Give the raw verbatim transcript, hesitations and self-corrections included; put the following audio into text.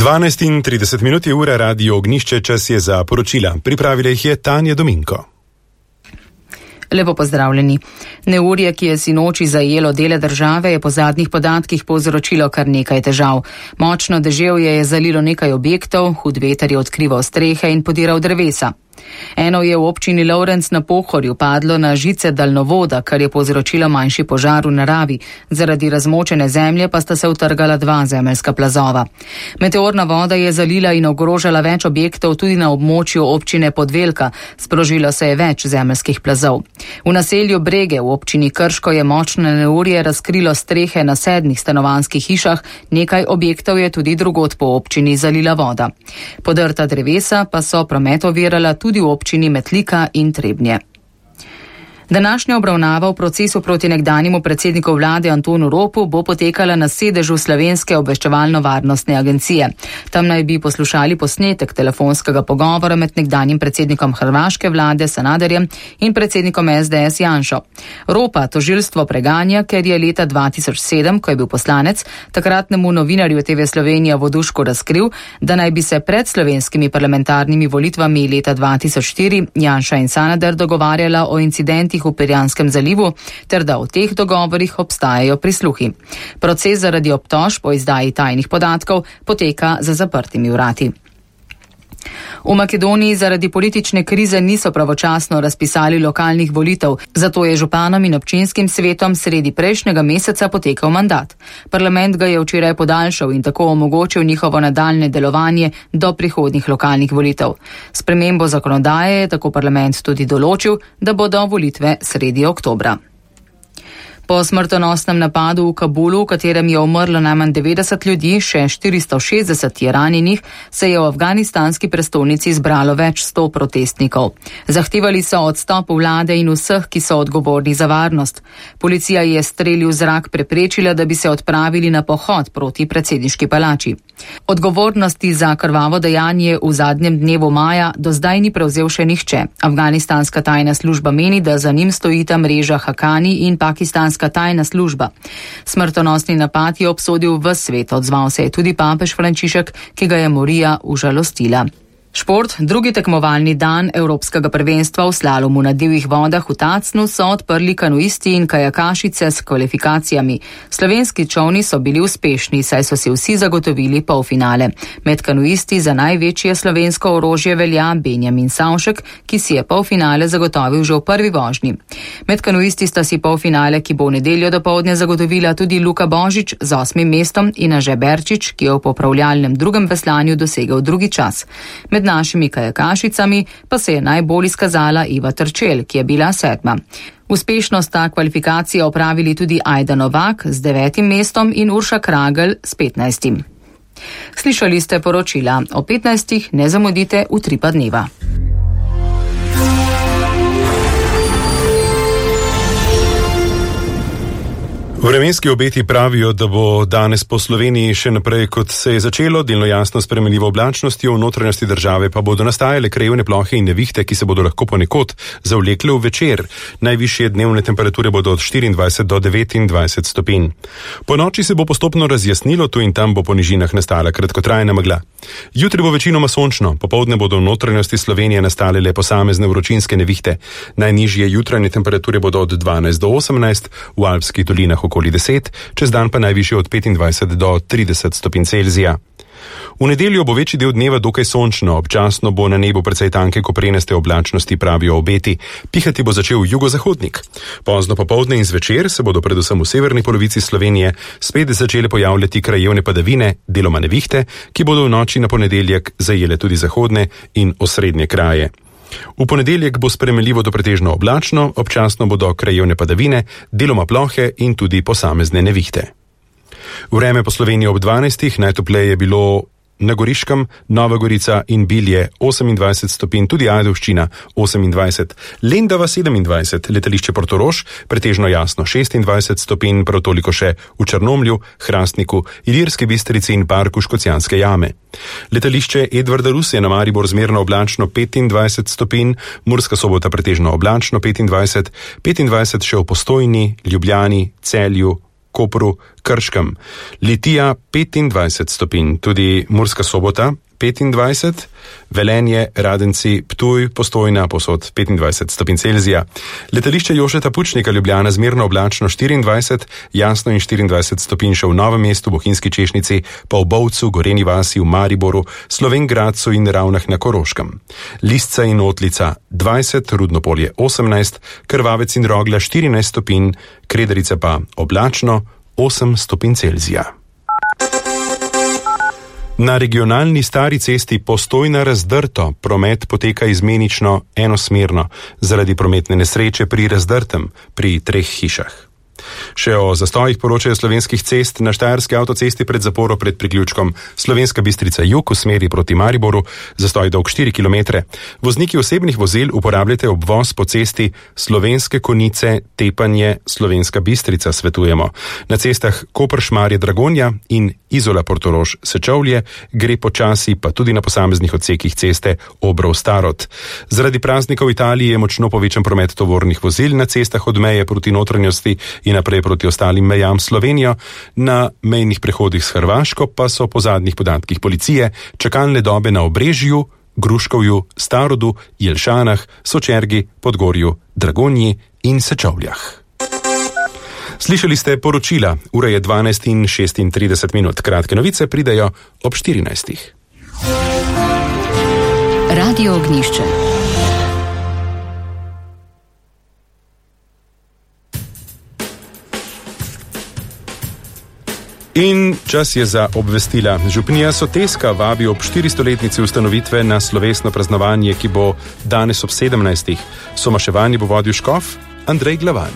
dvanajst in trideset minut je ura, Radio Ognjišče, čas je za poročila. Pripravila jih je Tanja Dominko. Lepo pozdravljeni. Neurje, ki je sinoči zajelo dele države, je po zadnjih podatkih povzročilo kar nekaj težav. Močno deževje je zalilo nekaj objektov, hud veter je odkrival strehe in podiral drevesa. Eno je v občini Lovrenc na Pohorju padlo na žice daljnovoda, kar je povzročilo manjši požar v naravi. Zaradi razmočene zemlje pa sta se utrgala dva zemeljska plazova. Meteorna voda je zalila in ogrožala več objektov tudi na območju občine Podvelka. Sprožilo se je več zemeljskih plazov. V naselju Brege v občini Krško je močno neurje razkrilo strehe na sedmih stanovanjskih hišah, nekaj objektov je tudi drugod po občini zalila voda. Podrta drevesa pa so promet ovirala tudi v občini Metlika in Trebnje. Današnja obravnava v procesu proti nekdanjemu predsedniku vlade Antonu Ropu bo potekala na sedežu Slovenske obveščevalno-varnostne agencije. Tam naj bi poslušali posnetek telefonskega pogovora med nekdanjim predsednikom hrvaške vlade Sanaderjem in predsednikom es de es Janšo. Ropa tožilstvo preganja, ker je leta dva tisoč sedem, ko je bil poslanec, takratnemu novinarju te ve Slovenija Vodušku razkril, da naj bi se pred slovenskimi parlamentarnimi volitvami leta dva tisoč štiri Janša in Sanader dogovarjala o incidentih v Pirjanskem zalivu, ter da v teh dogovorih obstajajo prisluhi. Proces zaradi obtožb o izdaji tajnih podatkov poteka za zaprtimi vrati. V Makedoniji zaradi politične krize niso pravočasno razpisali lokalnih volitev, zato je županom in občinskim svetom sredi prejšnjega meseca potekal mandat. Parlament ga je včeraj podaljšal in tako omogočil njihovo nadaljne delovanje do prihodnjih lokalnih volitev. Spremembo zakonodaje je tako parlament tudi določil, da bodo volitve sredi oktobra. Po smrtonosnem napadu v Kabulu, v katerem je umrlo najmanj devetdeset ljudi, še štiristo šestdeset je ranjenih, se je v afganistanski prestolnici zbralo več sto protestnikov. Zahtevali so odstop vlade in vseh, ki so odgovorni za varnost. Policija je streli v zrak preprečila, da bi se odpravili na pohod proti predsedniški palači. Odgovornosti za krvavo dejanje v zadnjem dnevu maja do zdaj ni prevzel še nihče. Afganistanska tajna služba meni, da za njim stojita mreža Hakani in pakistanska tajna služba. Smrtonosni napad je obsodil ves svet, odzval se je tudi papež Frančišek, ki ga je morija užalostila. Šport, drugi tekmovalni dan Evropskega prvenstva v slalomu na divjih vodah v Tacnu so odprli kanuisti in kajakašice s kvalifikacijami. Slovenski čolni so bili uspešni, saj so si vsi zagotovili polfinale. Med kanuisti za največje slovensko orožje velja Benjamin Savšek, ki si je polfinale zagotovil že v prvi vožnji. Med kanuisti sta si polfinale, ki bo v nedeljo dopoldne zagotovila tudi Luka Božič z osmim mestom in Anže Berčič, ki je v popravljalnem drugem veslanju dosegel drugi čas. Med Med našimi kajakašicami pa se je najbolj izkazala Iva Trčel, ki je bila sedma. Uspešno sta kvalifikacije opravili tudi Ajda Novak z devetim mestom in Urša Kragel s petnajstim. Slišali ste poročila. O petnajstih ne zamudite v tri pa dneva. Vremenski obeti pravijo, da bo danes po Sloveniji še naprej, kot se je začelo, delno jasno spremenljivo oblačnostjo, v notranjosti države pa bodo nastajale krajevne plohe in nevihte, ki se bodo lahko ponekod zavlekle v večer. Najvišje dnevne temperature bodo od štiriindvajset do devetindvajset stopinj. Po noči se bo postopno razjasnilo, tu in tam bo po nižinah nastala kratkotrajna megla. Jutri bo večinoma sončno, popoldne bodo v notranjosti Slovenije nastale le posamezne vročinske nevihte. Najnižje jutranje temperature bodo od dvanajst do osemnajst, v alpskih dolinah okoli deset, čez dan pa najvišje od petindvajset do trideset stopinj Celzija. V nedeljo bo večji del dneva dokaj sončno, občasno bo na nebu precej tanke koprenaste oblačnosti, pravijo obeti. Pihati bo začel jugozahodnik. Pozno popoldne in zvečer se bodo predvsem v severni polovici Slovenije spet začele pojavljati krajevne padavine, deloma nevihte, ki bodo v noči na ponedeljek zajele tudi zahodne in osrednje kraje. V ponedeljek bo spremenljivo do pretežno oblačno, občasno bodo krajevne padavine, deloma plohe in tudi posamezne nevihte. Vreme po Sloveniji ob dvanajstih, najtopleje je bilo na Goriškem, Nova Gorica in Bilje osemindvajset stopinj, tudi Ajdovščina osemindvajset, Lendava sedemindvajset, letališče Portorož pretežno jasno šestindvajset stopinj, prav toliko še v Črnomlju, Hrastniku, Ilirski Bistrici in parku Škocjanske jame. Letališče Edvarda Rusije na Maribor zmerno oblačno petindvajset stopinj, Murska Sobota pretežno oblačno petindvajset, petindvajset še v Postojni, Ljubljani, Celju, Kopru, Krškem. Litija petindvajset stopinj, tudi Murska Sobota petindvajset, Velenje, Radenci, Ptuj, Postojna, posod petindvajset stopinj Celzija. Letališče Jožeta Pučnika Ljubljana zmerno oblačno štiriindvajset, jasno in štiriindvajset stopinj še v Novem mestu, Bohinjski Češnjici, pa v Bovcu, Goreni vasi, v Mariboru, Slovenj Gradcu in Ravnah na Koroškem. Lisca in Otlica dvajset, Rudnopolje osemnajst, Krvavec in Rogla štirinajst stopinj, Krederica pa oblačno osem stopinj Celzija. Na regionalni stari cesti Postojna Razdrto promet poteka izmenično enosmerno zaradi prometne nesreče pri Razdrtem pri treh hišah. Še o zastojih poročajo Slovenskih cest na Štajerski avtocesti pred zaporo pred priključkom Slovenska Bistrica jug v smeri proti Mariboru, zastoj dolg štiri kilometre. Vozniki osebnih vozil uporabljate obvoz po cesti Slovenske Konjice Tepanje Slovenska Bistrica, svetujemo. Na cestah Koper-Šmarje Dragonja in Izola Portorož Sečovlje gre počasi, pa tudi na posameznih odsekih ceste Obrov Starod. Zaradi praznikov v Italiji je močno povečan promet tovornih vozil na cestah od meje proti notranjosti in naprej proti ostalim mejam Slovenijo, na mejnih prehodih s Hrvaško pa so po zadnjih podatkih policije čakalne dobe na Obrežju, Gruškovju, Starodu, Jelšanah, Sočergi, Podgorju, Dragonji in Sečovljah. Slišali ste poročila, ura je dvanajst in šestintrideset minut, kratke novice pridejo ob štirinajstih. Radio Ognjišče. In čas je za obvestila. Župnija Soteska vabi ob štiristoletnici ustanovitve na slovesno praznovanje, ki bo danes ob sedemnajstih. Somaševanje bo vodil škof Andrej Glavan.